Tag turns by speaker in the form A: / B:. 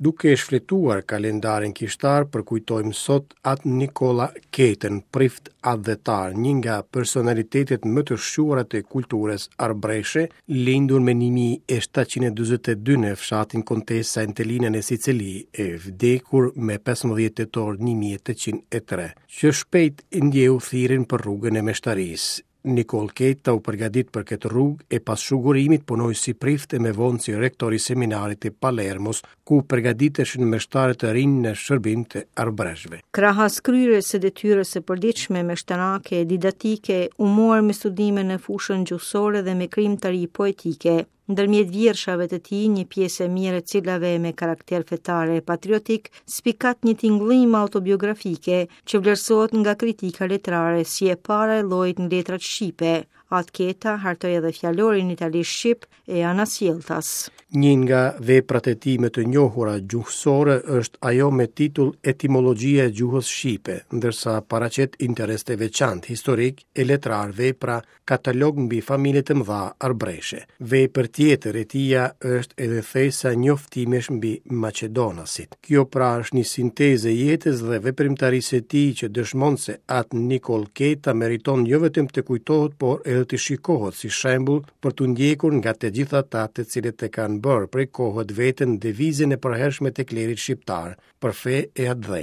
A: Duke shfletuar kalendarin kishtar, përkujtojmë sot At Nikolla Ketën, prift atdhetar, një nga personalitetet më të shquara të kulturës arbreshe, lindur me 1742 në fshatin Kontesa Entelina në Sicili, e vdekur me 15 tetor 1803, që shpejt ndjeu thirrjen për rrugën e meshtarisë. Nikollë Keta u përgatit për këtë rrugë e pas shugurimit punoi si prift e më vonë si rektor i seminarit të Palermos, ku përgatiteshin meshtarë të rinj në shërbim të
B: arbëreshëve. Krahas kryerjes së detyrës së përditshme meshtarake e didaktike, u mor me studime në fushën gjuhësore dhe me krijimtari poetike. Ndërmjet vjershave të tij, një pjesë e mirë e cilave me karakter fetar e patriotik, spikat një tingëllimë autobiografike që vlerësohet nga kritika letrare si e para e llojit në letrat shqipe. At Keta hartoi edhe fjalorin italisht-shqip e anasjelltas.
A: Një nga veprat e tij më të njohura gjuhësore është ajo me titull Etimologjia e gjuhës shqipe, ndërsa paraqet interes të veçantë historik e letrar vepra Katalog mbi familjet e mëdha arbreshe. Vepër tjetër e tija është edhe thesa njoftimesh mbi maqedonasit. Kjo pra është një sintezë e jetës dhe veprimtarisë së tij që dëshmon se At Nikollë Keta meriton jo vetëm të kujtohet, por edhe të shikohet si shembull për t'u ndjekur nga të gjithë ata të cilët e kanë bërë prej kohët veten devizën e përhershme të klerit shqiptar për fe e atdhe.